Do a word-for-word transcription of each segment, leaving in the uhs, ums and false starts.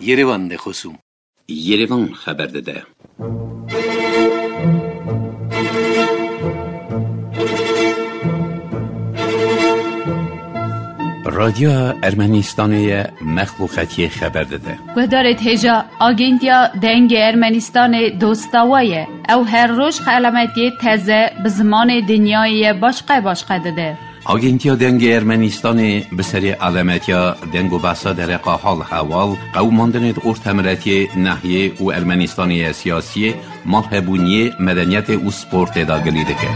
Yerevan de xosûm. Yerevan xeber dide. Radyoya Ermenistanê ye, mexluqetiyê xeber dide. Guhdarê hêja, Agentiya Dengê Ermenistanê dosta we ye. Ew her roj xelametiyê teze bi zimanê dinyayê ye başqe başqe dide. Agentiya Dengê Ermenistanê bi serê alemetiya deng û behsa dereqa hal hewal, qewimandinê di ortemiretiyê, nehiyê û Ermenistanê ye siyasiyê, malhebûniyê, medeniyetê û sportê de gilî dike.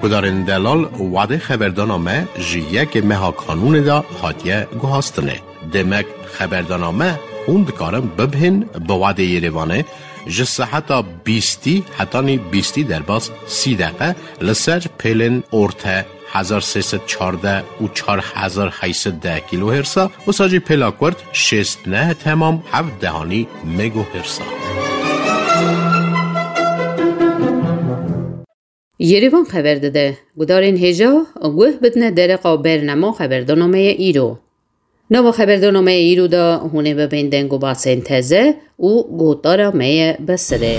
Gudarên delal, wadê xeberdana me ji yekê meha kanûnê de hatiye guhastinê. Demek xeberdana me hûn dikarin bibihên bi wadê Yerevanê ji seheta bîstî hetanî bîstî derbas sî deqe li ser pêlên orte hezar sê sed çardeh û çar hezar heyt sed deh kîlohêrsa, wisa jî pêla kurt şêst neh temam heft dehanî megohêrsa. Yerevan xeber dide, gudarên hêja guh bidine dereqa bernama xeberdana me ye îro. Nava xeberdana me ye îro de hûn ê bibên deng û basên teze û gotara me ye bi sirê.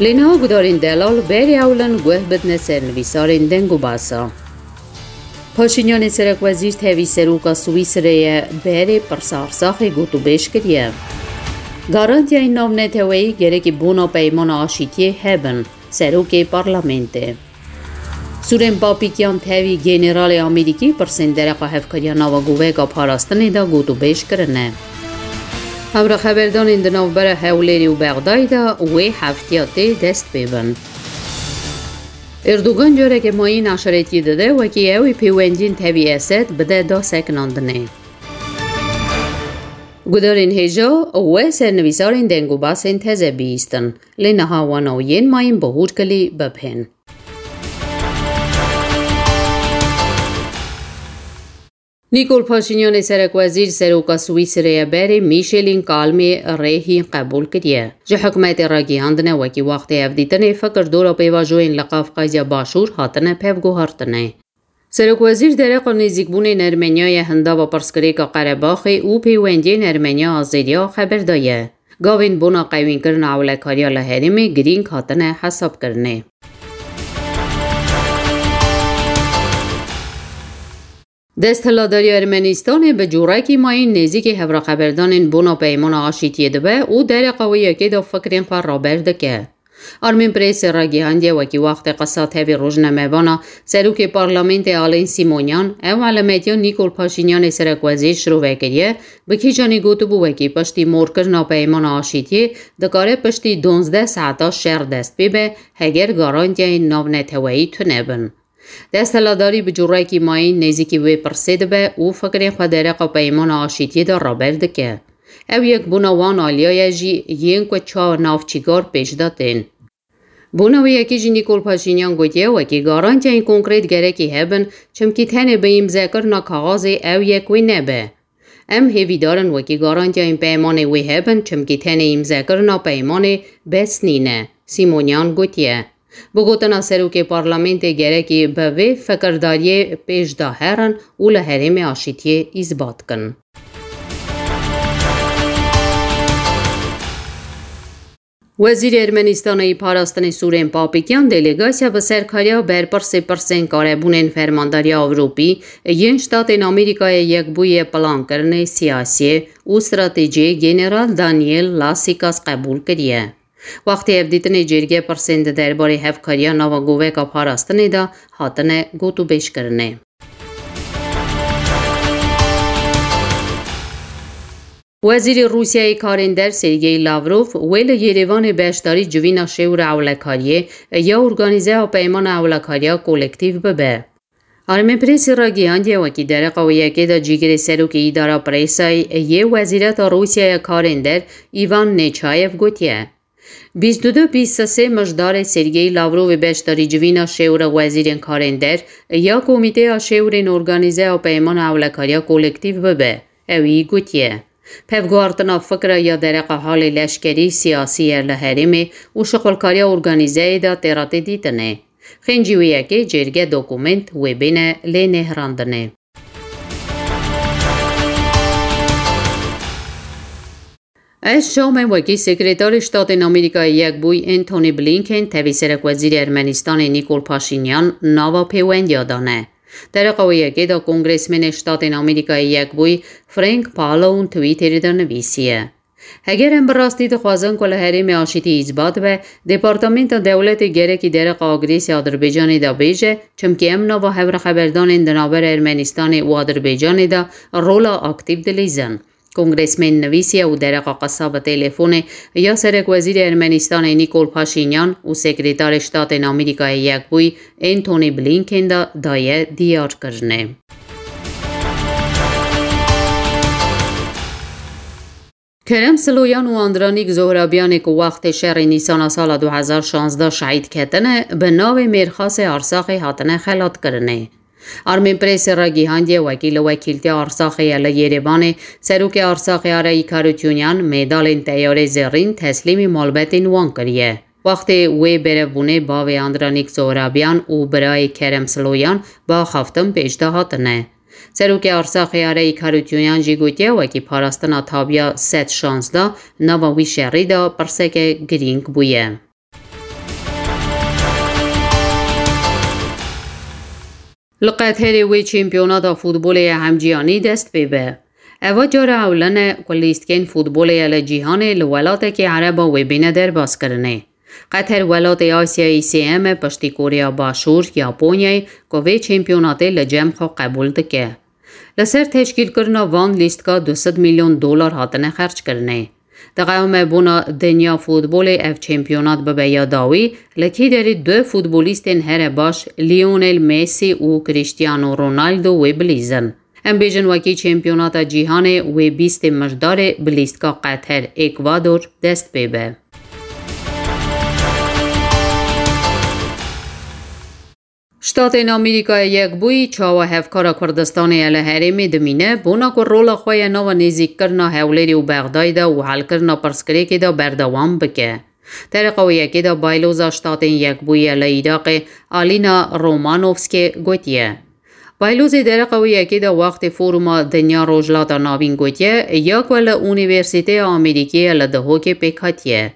Lê niha gudarên delal berê ewlin guh bidine sernivîsarên deng û basa. Paşînyanê serekwezîr tevî seroka Swîsreyê berê pirsa Arsaxê gotûbêj kiriye. Garantiyayên navneteweyî gerekî bona peymana aşîtiyê hebin, serokê parlamentê. Sûrên Papîkyan tevî generalê Amerîkî pirsên dereqa hevkariya nava goveka parastinê de gotûbêj kirine. Hevra xeberdanên di navbera Hewlêrê û Bexdayê de wê heftiya tê dest pê bin. Erdogan careke mayîn eşaretiyê dide, wekî ew ê pêwendiyên tevî Esed bide da sekinandinê. Gudarên hêja we sernivîsarên deng û basên teze bihîstin, lê niha wana û yên mayîn bi hûrkilî bibihên. Nîkol Paşînyanê serekwezîr seroka Swîsreyê berê Mîşelîn Kalmê rêhî qebûl kiriye. Ji hikûmetê ragihandine wekî wextê hevdîtinê fikir dora pêvajoyên li Qafqazya Başûr hatine pevguhartinê. Serokwezîr dereqa nêzîkbûnên Ermeniyayê hindava pirsgirêka Qerebaxê û pêwendiyên Ermeniya Azeriya xeber daye. Gavên bona qewînkirina ewlekariya li herêmê girîng hatine hesabkirinê. Desthilatdariya Ermenistanê bi cûrekî mayîn nêzîkî hevraxeberdanên bona peymana aşîtiyê dibe û dereqa wê yekê de fikrên xwe raber dike. Armên Presê ragihandiye wekî wextê qisa tevî rojnamevana serokê parlamentê Alên Sîmonyan, ew elametiya Nîkol Paşînyanê serekwezîr şirove kiriye, bi kîjanî gotibû wekî piştî morkirina peymana aşîtiyê dikare piştî duwazdeh saeta şer dest pê be, heger garantiyayên navneteweyî tune bin. Desthilatdarî bi cûrekî mayîn nêzîkî wê pirsê dibe û fikrên xwe dereqa peymana aşîtiyê de raber dike. Ew yek bona wan aliya ye jî yên ku çawa navçîkar pêş de tên. Bona wê yekê jî Nîkol Paşînyan gotiye, wekî garantiyên konkret gerekî hebin, çimkî tenê bi îmzekirina kaxazê ew yek wê nebe. Em hêvîdar in wekî garantiyayên peymanê wê hebin, çimkî tenê îmzekirina peymanê bes nîne, Sîmonyan gotiye. Bi gotina serokê parlamentê gerekî bi vê fikirdariyê pêş de herin û li herêmê aşîtiyê îsbat kin. Wezîrê Ermenistanê yî parastinê Sûrên Papîkyan delegasya bi serkariya berpirsê pirsên karebûnên Fermandariya Ewropî yên Ştatên Amerîkayê Yekbûyî yê Plankirinê Siyasiyê û Stratejiyê General Daniel Lasikas qebûl kiriye. Wextê hevdîtinê cêrgê pirsên di derbarê hevkariya nava goveka parastinê de hatine gotûbêjkirinê. Wezîrê Rûsyayê Karên Der Sergey Lavrov wê li Yerêvanê beşdarî civîna şêwra ewlekariyê ya Organîzeya Peymana Ewlekariya Kolektîf bibe. Armê Presê ragihandiye, wekî dereqa wê yekê de cîgirê serokê îdara Presayê yê Wezîreta Rûsyaya Karên Der Îvan Neçayev gotiye, bîst û du bîst û sê mijdarê Sergey Lavrovê beşdarî civîna şêwra wezîrên karên der ya Komîteya Şêwrên Organîzeya Peymana Ewlekariya Kolektîf bibe. Ewî gotiye, pevguhartina fikra ya dereqa halê leşkerî, siyasî ye li herêmê û şixulkariya organîzeyê de tê re tê dîtinê. Xêncî wê yekê cêrge dokumênt wê bêne lê nêhrandinê. Ez Şamê wekî Sekreterê Ştatên Amerîkayê Yekbûyî Antony Blinken tevî Serekwezîrê Ermenistanê Nîkol Paşînyan nava pêwendiya dane. Dereqa wê yekê de Kongresmenê Ştatên Amerîkayê Yekbûyî Frank Pallone Twitterê de nivîsiye, Heger em bi rastî dixwazin ku li herêmê aşîtî îsbat be, Departamenta Dewletê gerekî dereqa agresî Adirbaycanê de bêje, çimkî em nava hevreheberdanên di navbera Ermenistanê û Adirbaycanê de rola aktîf dilîzin. Kongresmên nivîsiye û dereqa qesa bi telefonê ya Serekwezîrê Ermenistanê Nîkol Paşînyan û Sekretarê Ştatên Amerîkayê Yekbûyî Antony Blinken de daye diyarkirinê. Kerem Siloyan û Andranîk Zohrabyanê ku wextê şerê Nîsana sala du hezar şazdeh şehîd ketine, bi navê Mêrxasê Arsaxê hatine xelatkirinê. Armên Presê ragihandiye wekî li wekîltiya Arsaxê ye li Yerêvanê, Serokê Arsaxê Arayî Karutyunyan mêdalên teyarê zêrîn teslîmî malbetên wan kiriye. Wextê wê berevbûnê bavê Andranîk Zohrabyan û birayê Kerem Siloyan bi axaftin pêş de hatine. Serokê Arsaxê Arayî Karutyunyan jî gotiye, wekî parastina tabiya sed şazdeh nava wî şerî de pirseke girîng bûye. Li Qeterê wê çempiyonata futbolê ya hemcîhanî dest pê be. Eva cara ewlen e ku lîstikên futbolê ya li cîhanê li welatekî ereba wê bîne derbazkirinê. Qeter welatê Asyayê sêyem e piştî Koreya Başûr, Yaponyayê ku vê çempiyonatê li cem xwe qebûl dike. Li ser teşkîlkirina van lîstika du sed milyon dolar hatine xerckirinê. Diqewime bona dinya futbolê ev çempiyonat bibe ya dawî, li kî derê du futbolîstên here baş Lionel Messi û Cristiano Ronaldo wê bilîzin. Em bêjin wekî çempiyonata cîhanê wê bîstê Mijdarê bi lîstika Qeter, Ekvador dest pê be. Ştatên Amerîkayê Yekbûyî çawa hevkara Kurdistanê ye li herêmê dimîne, bona ku rola xwe ya nava nêzîkkirina Hewlêrê û Bexdayê de û helkirina pirsgirêkê de berdewam bike. Dereqa wê yekê de Bayloza Ştatên Yekbûyî ya li Iraqê Alîna Romanovskê gotiye. Baylozê dereqa wê yekê de wextê Foruma Dinya Rojhilata Navîn gotiye, ya ku li Unîversîteya Amerîkî ya li Duhokê pêk hatiye.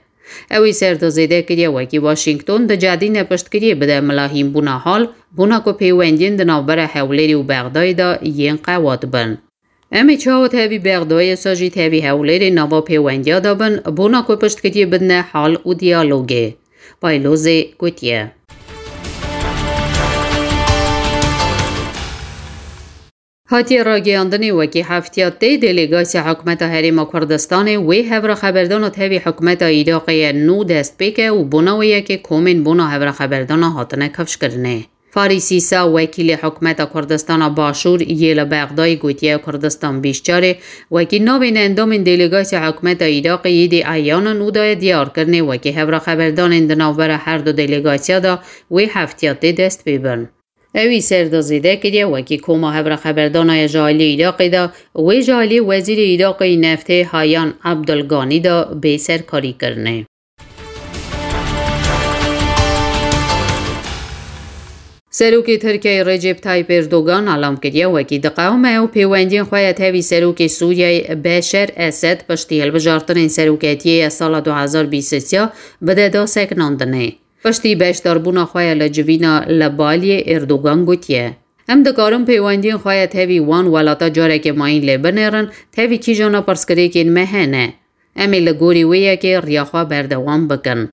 Ew ê ser de zêde kiriye wekî Washington dicedîne piştgiriyê bide mila hînbûna hal, bona ku pêwendiyên di navbera Hewlêrê û Bexdayê de yên qewat bin. Em ê çawa tevî Bexdayê sa jî tevî Hewlêrê nava pêwendiya de bin, bona ku piştgiriyê bidine hal û diyalogê. Baylozê gotiye. Hatiye ragihandinê wekî heftiya tê delegasya hikûmeta Herêma Kurdistanê wê hevra xeberdana tevî hikûmeta Iraqê ye nû dest pê ke û bona wê yekê komên bona hevra xeberdana hatine kifşkirinê. Farîs Îsa, wekîlê hikûmeta Kurdistana Başûr yê li Bexdayê gotiye Kurdistan Bîşçarê wekî navên endamên delegasya hikûmeta Iraqê yê dî eyan in û daye diyarkirinê wekî hevra xeberdanên di navbera her du delegasya de wê heftiya tê dest pê bin. Ewî ser de zêde kiriye wekî koma hevra xeberdana ya ji aliyê Iraqê de wê ji aliyê Wezîrê Iraqê yî Neftê Hayan Abdulganî de bê serkarîkirinê. Serokê Tirkiyeyê Recep Tayyip Erdogan alam kiriye wekî diqewime ew pêwendiyên xwe ya tevî Serokê Sûriyeyê Beşer Esed piştî hilbijartinên seroketiyê ya sala du hezar bîst û sê bide da sekinandinê. Piştî beşdarbûna xwe ya li civîna li Baliyê Erdogan gotiye, Em dikarin pêwendiyên xwe ya tevî wan welata careke mayîn lê binêrin, tevî kîjana pirsgirêkên me hene. Em ê li gorî wê yekê riya xwe berdewam bikin.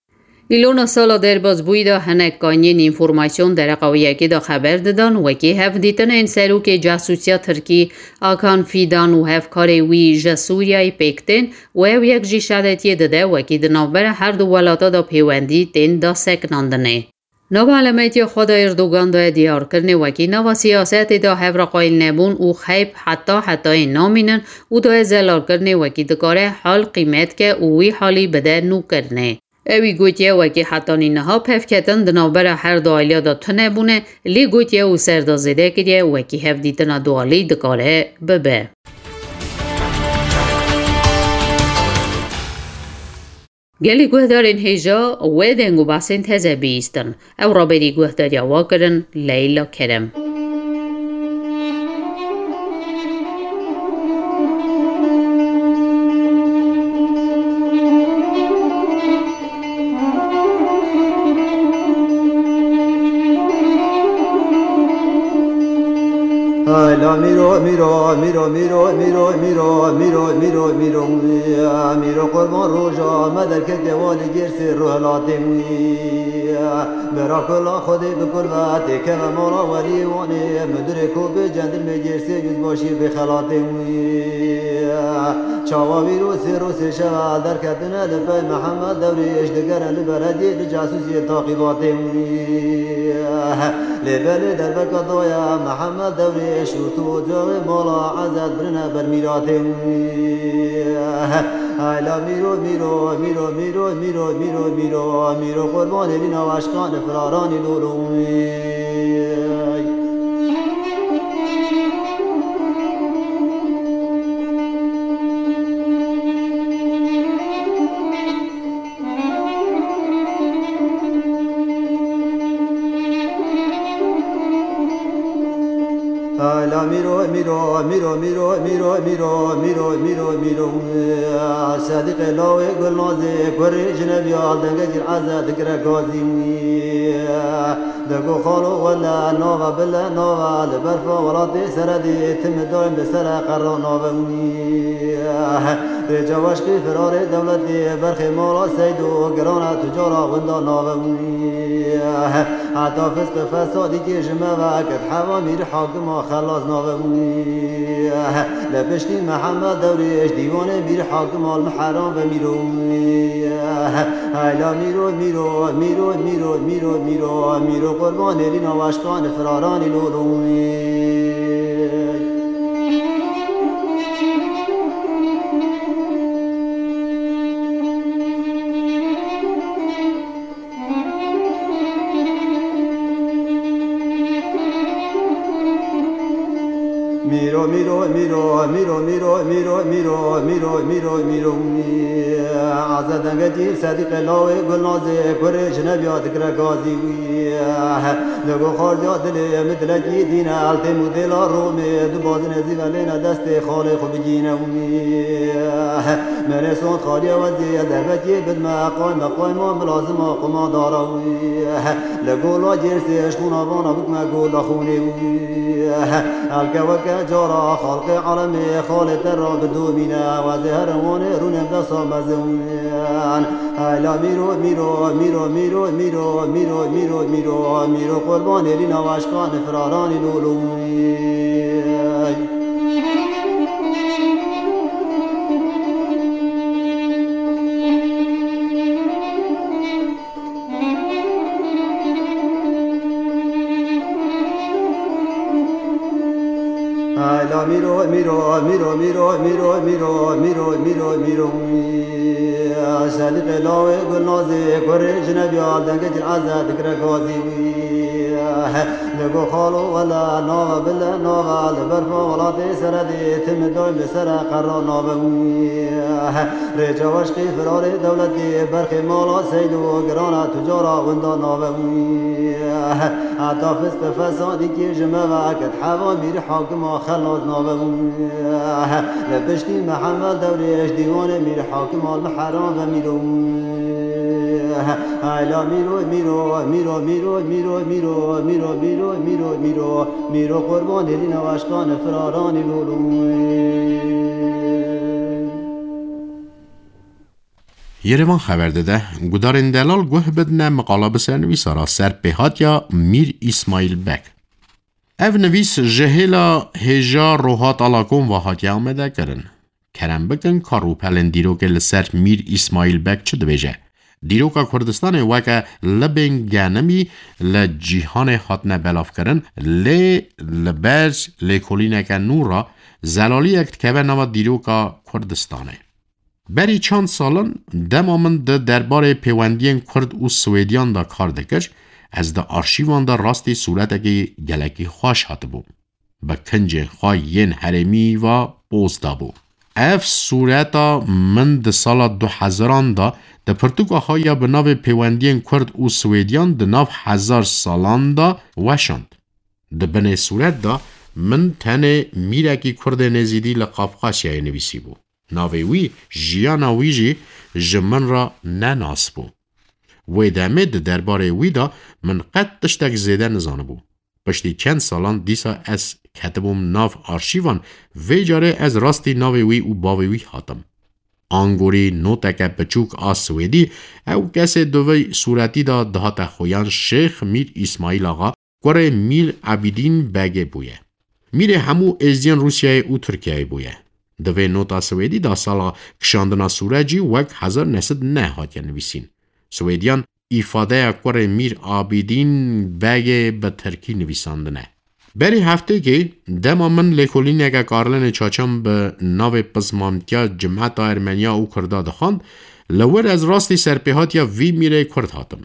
Îlona sala derbazbûyî de hinek kaniyên înformasyon dereqa wê yekê de xeber didan, wekî hevdîtinên serokê casûsiya Tirkî Akan Fidan û hevkarê wî ji Sûriyeyê pêk tên û ew yek jî şedetiyê dide, wekî di navbera her du welata de pêwendî tên da sekinandinê. Nava elemetiya xwe de Erdogan daye diyarkirinê wekî nava siyasetê de hevra qayîl nebûn û xeyb heta hetayê namînin û daye zelalkirinê wekî dikare hal qîmet ke û wî halî bide nûkirinê. Ewî gotiye wekî hetanî niha pevketin di navbera her du aliya de tune bûne, lê gotiye û ser de zêde kiriye wekî hevdîtina dualî dikare bibe. Gelî guhdarên hêja wê deng û behsên teze bihîstin. Ew raberî guhdariya wa kirin Leyla Kerem. Ay la mîro, mîro, mîro, mîro, mîro, mîro, mîro, mîro, mîro, mîro, mîro, mîro, qurban roja me derketiye walî gêrsê ruhelatê wî. Bera kula Xwedê bi kul ve têkeve mala welî wanê, müdürê ku bi cendirmê gêrsê yüzbaşî bi xelatê wî. Çawa wî rûsê rûsê şeva derketine li pey Mihemed Dewrêş digere li belediyê li casûsiyê taqîbatê wî. Lê belê derbeka doya Mihemed Dewrêş û tu ocaxê mala Ezet birine ber mîratê wî. Ay la mîro, mîro, mîro, mîro, mîro, mîro, mîro, mîro, mîro, qurbanê lîna aşkan firaranî lolo wî. Ala mîro, mîro, mîro, mîro, mîro, mîro, mîro, mîro, mîro. Sedîqê lawê Gulnazê, kurê Jinebî al dengekî Eze digire gazî wî. Dego xalo wele nava bile nava, li berfa welatê seredî, tim daim li sere qerra nave wî. Rêca weşqî firarê dewletê, berxê mala Seydo, girana tucara winda nave wî. Heta fisq fesadî kê ji me ve, ket heva mîr hakima xelas nave wî. Li piştî Mihemed Dewrêş, dîwanê mîr hakima li Miheran ve mîro wî. Hayla mîro, mîro, mîro, mîro, mîro, mîro, mîro, qurbanê lîna weşqan firaranî lolo wî. Mîro, mîro, mîro, mîro, mîro, mîro, mîro, mîro, mîro, mîro, mîro, mîro. Aze dengekî Sedîqê lawê Gulnazê, kurê Jinebî ya digire gazî wî. Li go xwardiya dilê min dilekî dîne, eltê mûdêla Romê, du bazinê zî ve lêne destê xalê xwe bigîne wî. Merê sond xaliye wezî, derbetiyê bidme, qayme qayma milazima quma dara wî. Li gola Gêrsê, ji xûna vana bikme gola xûnê wî. Elke weke cara, xalqê alemê, xalê te ra bidomîne, wezê herin wanê rûnê desa mezin. Hayla mîro, mîro, mîro, mîro, mîro, mîro, mîro, mîro, mîro, qurbanê lîna weşqan firaranî lolo wî. Hayla mîro, mîro, mîro, mîro, mîro, mîro, mîro, mîro, mîro, mîro. Sedîqê lawê Gulnazê, kurê Jinebî ya dengekî Eze digire gazî wî. Li go xalo wele nava bile nava, li berfa welatê seredê, tim daim li sere qerra nave wî. Rêca weşqî firarê dewletê, berxê mala Seydo, girana tucara winda nave wî. Heta fisq fesadî kê ji me ve, ket heva mîr hakima xelas nave wî. Li piştî Mihemed Dewrêş, dîwanê mîr hakima li Miheran ve mîro wî. Hayla mîro, mîro, mîro, mîro, mîro, mîro, mîro, mîro, mîro, mîro, mîro, mîro, qurbanê lîna weşqan firaranî lolo wî. Yerevan xeber dide, gudarên delal guh bidine miqala bi sernivîsa ra ser pêhatiya Mîr Îsmaîl Beg. Ev nivîs ji hêla hêja Rohat Alakom ve hatiye amade kirin. Kerem bikin ka rûpelên dîrokê li ser Mîr Îsmaîl Beg çi dibêje. Dîroka Kurdistanê weke libên genimî li cîhanê hatine belavkirin, lê li ber lêkolîneke nû re zelaliyek dikeve nava dîroka Kurdistanê. Berî çend salan dema min di derbarê pêwendiyên Kurd û Swêdiyan de kar dikir, ez di arşîvan de rastî sûretekî gelekî xweş hatibû. Bi kincên xwe yên herêmî ve poz dabû. Ev sûreta min di sala du hezaran de di pirtûka xwe ya bi navê Pêwendiyên Kurd û Swêdiyan di nav hezar salan de weşand. Di binê sûret de min tenê mîrekî Kurdê Nêzîdî li Qafqasyayê nivîsîbû. Navê wî, jiyana wî jî ji min re nenas bû. Wê demê di derbarê wî de min qet tiştek zêde nizanibû. Piştî çend salan dîsa ez ketibûm nav arşîvan, vê carê ez rastî navê wî û bavê wî hatim. Angorî noteke piçûk a Swêdî, ew kesê di vê sûretî de dihate xuyan Şêx Mîr Îsmaîl Axa, kurê Mîr Ebîdîn Begê bûye. Mîrê hemû êzdiyên Rûsyayê û Tirkiyeyê bûye. Di vê nota Swêdî de sala kişandina sûret jî wek hezar neh sed neh hatiye nivîsîn. Swêdiyan îfadeya kurê Mîr Abîdîn Begê bi tirkî nivîsandine. Berî heftêkê dema min lêkolîneke Karlênê Çaçan bi navê Pizmantiya Cimeta Ermeniya û Kurda dixwand, li wir ez rastî serpêhatiya vî mîrê Kurd hatim.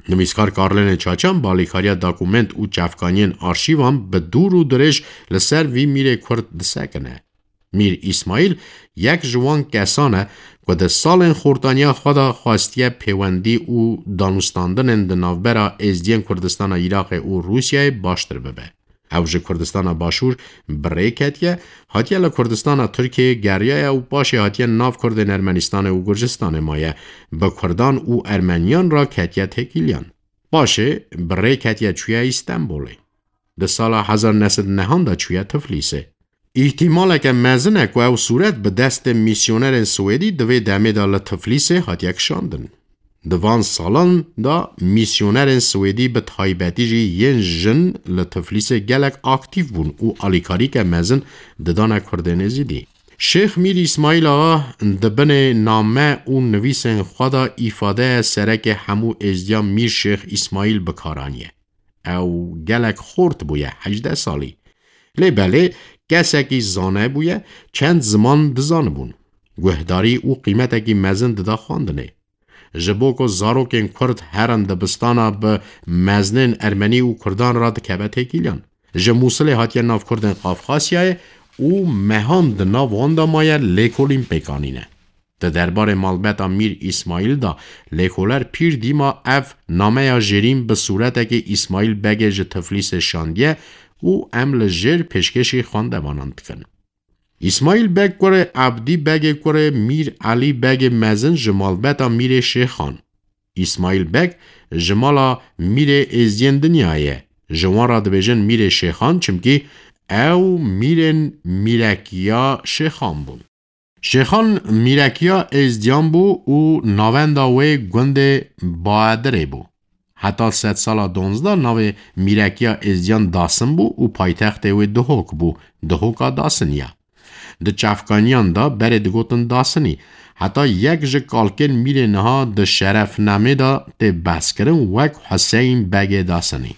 Nivîskar Karlênê Çaçan bi alîkariya dokument û çavkaniyên arşîvan bi dûr û dirêj li ser vî mîrê Kurd disekine. Mîr Îsmaîl yek ji wan kesan e ku di salên xortaniya xwe de xwestiye pêwendî û danûstandinên di navbera êzdiyên Kurdistana Iraqê û Rûsyayê baştir bibe. Ew ji Kurdistana Başûr bi rê ketiye, hatiye li Kurdistana Tirkiyeyê geriyaye û paşê hatiye nav Kurdên Ermenistanê û Gurcistanê maye, bi Kurdan û Ermeniyan re ketiye têkiliyan. Paşê bi rê ketiye çûye Îstenbolê. Di sala hezar neh sed nehan de çûye Tiflîsê. Îhtîmaleke mezin e ku ew sûret bi destê mîsyonerên Swêdî di vê demê de li Tiflîsê hatiye kişandin. Di van salan de mîsyonerên Swêdî, bi taybetî jî yên jin, li Tiflîsê gelek aktîf bûn û alîkarîke mezin didane Kurdên Êzidî. Şêx Mîr Îsmaîl Axa di binê name û nivîsên xwe de îfadeye serekê hemû êzdiyan Mîr Şêx Îsmaîl bi kar aniye. Ew gelek xort bûye, hejdeh salî. Lê belê kesekî zane bûye, çend ziman dizanibûn. Guhdarî û qîmetekî mezin dida xwendinê. Ji bo ku zarokên Kurd herin dibistana, bi mezinên Ermenî û Kurdan re dikeve têkiliyan. Ji Mûsilê hatiye nav Kurdên Qafqasyayê û mehan di nav wan de maye lêkolîn pêk anîne. Di derbarê malbeta Mîr Îsmaîl de lêkoler pîr dîma ev nameya jêrîn bi sûretekê Îsmaîl Begê ji Tiflîsê şandiye û em li jêr pêşkêşî xwendevanan dikin. Îsmaîl Beg kurê Ebdî Begê kurê Mîr Elî Begê mezin ji malbeta Mîrê Şêxan. Îsmaîl Beg ji mala mîrê êzdiyên dinyayê ye. Ji wan re dibêjin mîrê Şêxan, çimkî ew mîrên mîrekiya Şêxan bûn. Şêxan mîrekiya êzdiyan bû û navenda wê gundê Baedirê bû. Heta sedsala donzdeh navê mîrekiya êzdiyan Dasin bû û paytextê wê Duhok bû, Duhoka Dasiniya. Di çavkaniyan de berê digotin Dasinî. Heta yek ji kalkên mîrê niha di şerefnamê de tê behskirin wek Huseyn Begê Dasinî.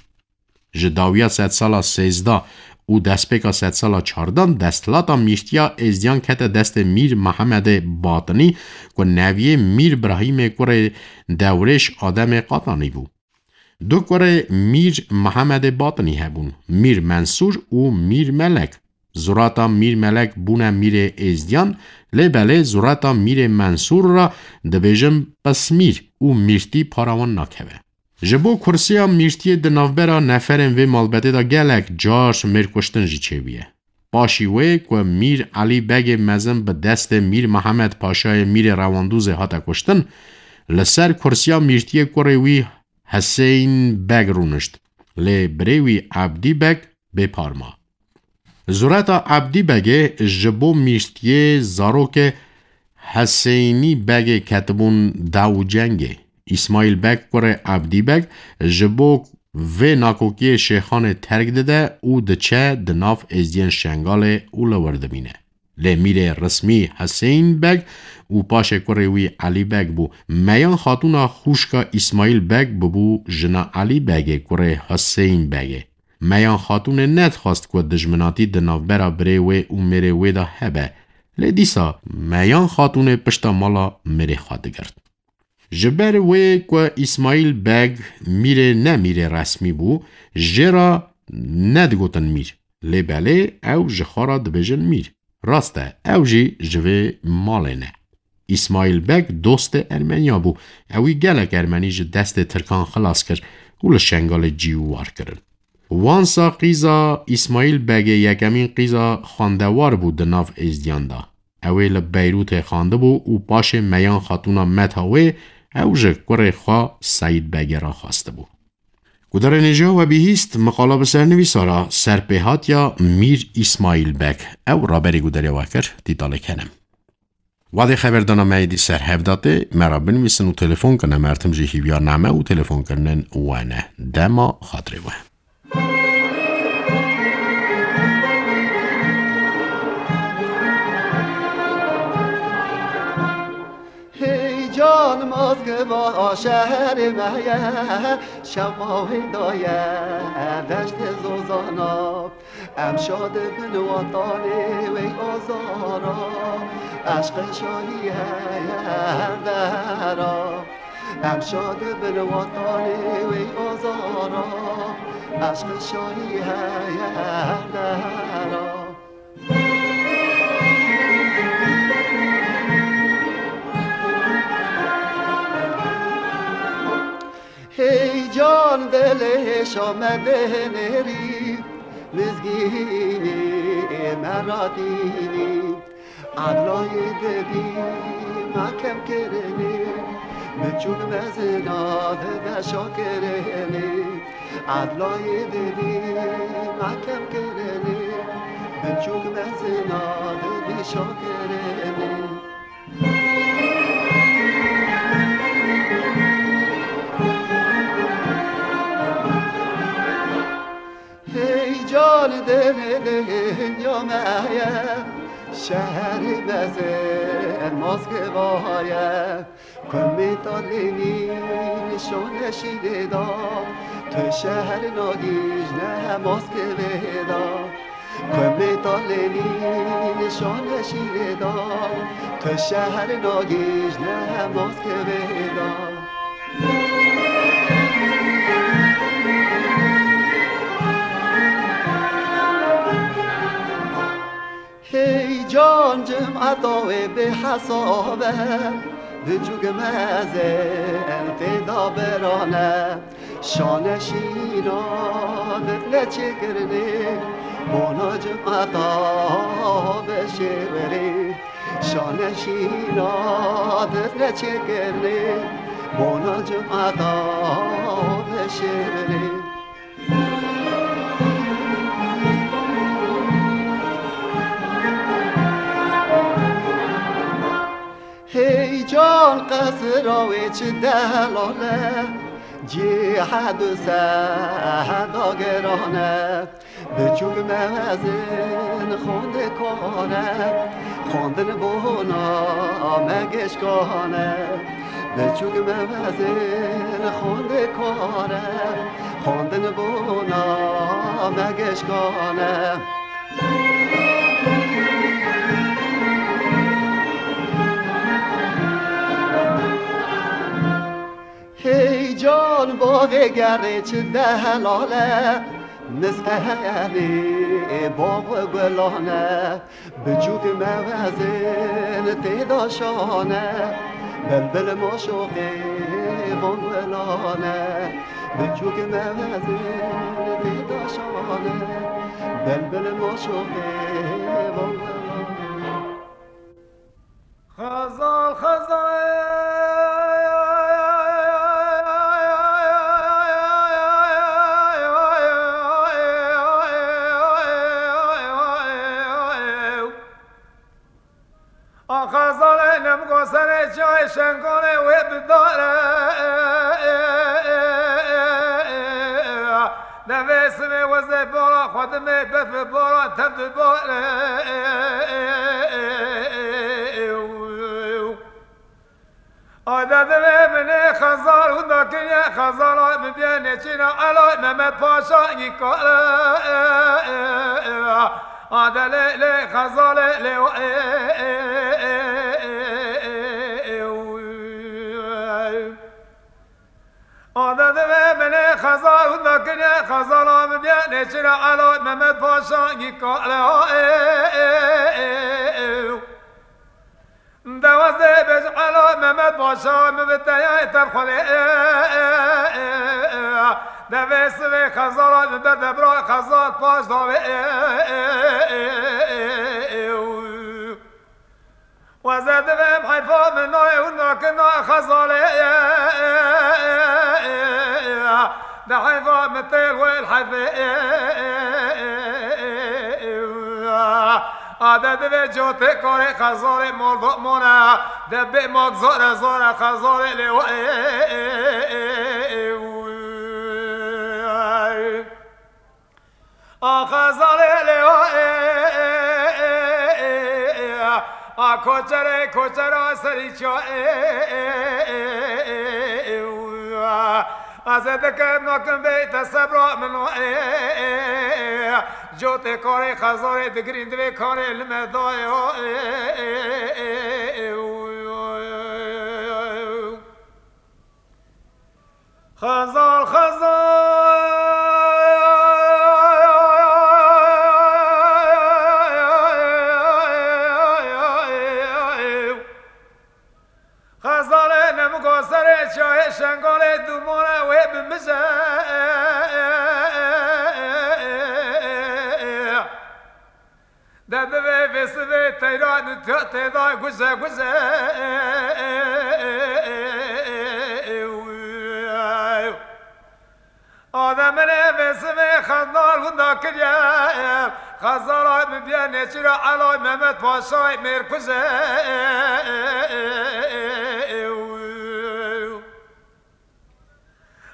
Ji dawiya sedsala sêzdeh û destpêka sedsala çardeh desthilata mîrtiya êzdiyan kete destê Mîr Mehemedê Batinî ku neviyê Mîr Birahîmê kurê Dewrêş Ademê Qatanî bû. Du kurê Mîr Mehemedê Batinî hebûn, Mîr Mensûr û Mîr Melek. Zurata Mîr Melek bûne mîrê êzdiyan, lê belê zurata Mîrê Mensûr re dibêjin Pismîr û mîrtî para wan nakeve. Ji bo kursiya mîrtiyê di navbera neferên vê malbetê de gelek car mêrkuştin jî çêbûye. Paşî wê ku Mîr Elî Begê mezin bi destê Mîr Mihemed Paşayê Mîrê Rewandûzê hate kuştin, li ser kursiya mîrtiyê kurê wî Hiseyn Beg rûnişt, lê birê wî Ebdî Beg bêpar ma. Zureta Ebdî Begê ji bo mîrtiyê zarokê Heseynî Begê ketibûn daw û cengê. Îsmaîl Beg kurê Ebdî Beg ji bo vê nakokiyê Şêxanê terk dide û diçe di nav êzdiyên Şengalê û li wir dimîne. Lê mîrê resmî Heseyn Beg û paşê kurê wî Elî Beg bû. Meyan Xatûna xûşka Îsmaîl Beg bibû jina Elî Begê kurê Heseyn Begê. Meyan Xatûnê nedixwest ku dijminatî di navbera birê wê û mêrê wê de hebe. Lê dîsa Meyan Xatûnê pişta mala mêrê xwe digirt. Ji ber wê ku Îsmaîl Beg mîrê ne mîrê resmî bû, jê re nedigotin mîr. Lê belê ew ji xwe re dibêjin mîr. Rast e, ew jî ji vê malê ne. Îsmaîl Beg dostê Ermeniya bû. Ewî gelek Ermenî ji destê Tirkan xilas kir û li Şengalê cî û war kirin. Wansa qîza Îsmaîl Begê yekemîn qîza xwendewar bû di nav Êzdiyan de. Ew ê li Beyrûtê xwendibû û paşê Meyan Xatûna Metha wê ew ji kurê xwe Seîd Begê re xwestibû. Gudarên hêja we bihîst, miqala bi sernivîsa re serpêhatiya Mîr Îsmaîl Beg. Ew raberî gudarê we kir, dîtalê kenim. Wadê xeberdana me êdî ser hev datê, me re binivîsin û telefon kin, em her tim jî hîviyar name û telefonkirinên we ne. Dema xatirê we. Hey can, Moskva şehrê me ye, şewa wê daye deştê zozana. Em şa dibin watanê wê azara, eşqê şahî heye her dera. Em şa dibin watanê wê azara, eşqê şahî heye her dera. Hey can, dilê şa me dinêrî, mizgînê me radînî. Edlayê didî me kemkirinê, biçûk mezina dibe şakirinê. Edlayê didî me kemkirinê, biçûk mezina dibî şakirinê. Hey can, dilê dinya me ye, şehrê mezin Moskva ye. Kumê talênî şone şînê da, tu şehr nagîjne Moskvê da. Kumê talênî şone şînê da, tu şehr nagîjne Moskvê da. Hey can, cimeta wê bêhesab e, biçûk mezin tê de birane. Şane şîna didne çêkirinê, bona cimeta bişêwirê. Şane şîna didne çêkirinê, bona cimeta bişêwirê. Hey can, qesra wê çi delal e, cihad û sehda giran e. Biçûk mezin xwendekar e, xwendin bona me gişkan e. Biçûk mezin xwendekar e, xwendin bona me gişkan e. Hey can, bavê gerê çi delal e, miskenê bav û gulan e. Biçûk mezin tê de şan e, bilbil maşoqê van gulan e. Biçûk mezin tê de şan e, bilbil maşoqê van gulan e. Xezal, xezal. A xezalê nemgo serê çiyayê Şengalê wê bidare. Devê sivê wezê bala xwe dimê befê bala tev dibare. Ay da divê min ê xezal û da kiriye xezala min bê nêçîna Elay Mehmet Paşa yî kale. A de lê lê xezalê lê. A de divê min ê xezal û da kiriye xezala min bê nêçîna Elay Mehmet Paşa yî kale. Ez ê bêjim Ela Mehmet Paşa, min bi teyayê te xwelê. Devê sivê Xezala, min ber de bira Xezal paş davê. Weze divêm heyfa min nayê hûn nakina Xezalê. De heyfa min têl wêl heyfê. Ade divê cotê karê Xezalê mol domona. De bê mak zore zore Xezalê lê wa. A Xezalê lê wa, a koçerê koçera serî ça. Ez ê dikim nakim bê te sebra min o. Cotê karê Xezalê digirîn divê karê li me dayê o. Xezal, Xezal. Xezalê nemiko serê çayê Şengalê dûmane wê bimije. De divê vê sivê teyran û tê-, têda guje guje. Ademine vê sivê xendal winda kiriye. Xezala min biye nêçîra Elay Mehmet Paşayê mêrkuje.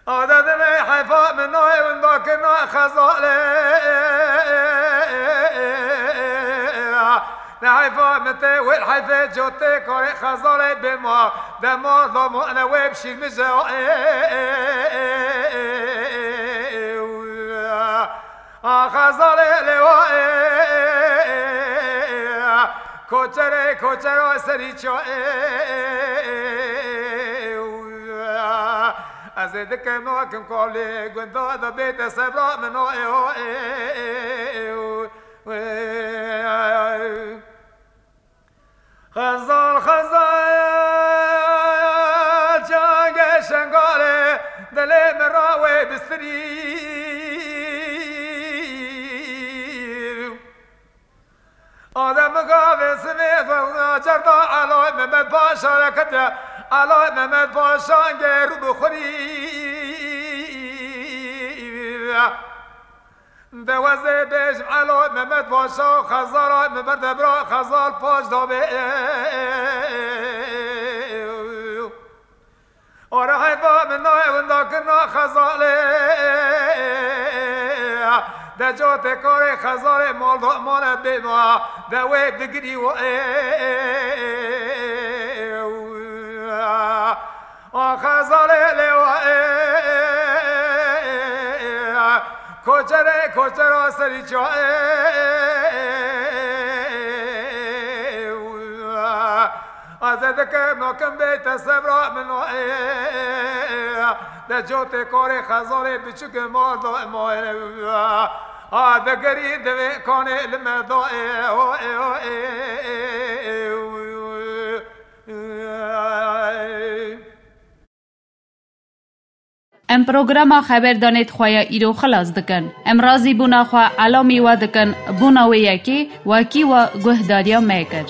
Ade divê heyfa min nayê winda kirina Xezalê. Ne heyfa min tê wêl heyfê cotê karê Xezalê bê ma. De ma da ma ne wê bişîr min je. A Xezalê lê wa. Koçerê koçera serî ça. Ez ê dikim nakim kalê gunda da bête sebra min o. Xezal, Xezal, çangê Şengalê, dilê min ra wê bistirî. Adem gavê sivê fewna cerda Elay Mehmet Paşa re kete, Elay Mehmet Paşa gêrû bi xurî. De wezê bêjim Elo Mehmet Paşa û Xezala min ber de bira Xezal paş da bê. Ora heyfa min nayê winda kirina Xezalê. De cotê karê Xezalê mal da mane bê ma. De wê digirî wa. A Xezalê lê wa. Koçerê koçera serî ça. Ez ê dikim nakim bê te sebra min o. De cotê karê Xezalê biçûkê mal da ma. A de gerî divê kanê li me da. Em programa xeberdanê di xwe ya îro xilas dikin. Em razîbûna xwe elamî we dikin, bûna wê yekê wekî we guhdariya me kir.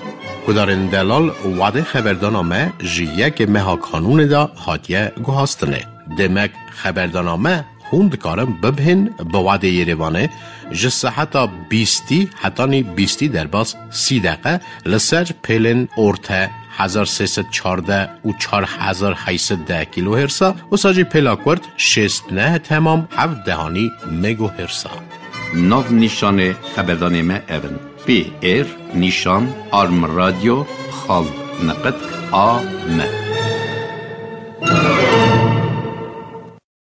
Guhdarên delal, wadê xeberdana me ji yekê meha Kanûnê de hatiye guhastinê. Demek xeberdana me hûn dikarin bibihên bi wadê Yerêvanê ji seheta bîstî hetanî bîstî derbas sî deqe li ser pêlên orte hezar sê sed çardeh û çar hezar heyt sed deh kîlohêrsa, wisa jî pêla kurt şêst neh temam heft dehanî megohêrsa. Nav nîşanê xeberdanê me ev in: P R nîşan arm radyo xal neqet a m.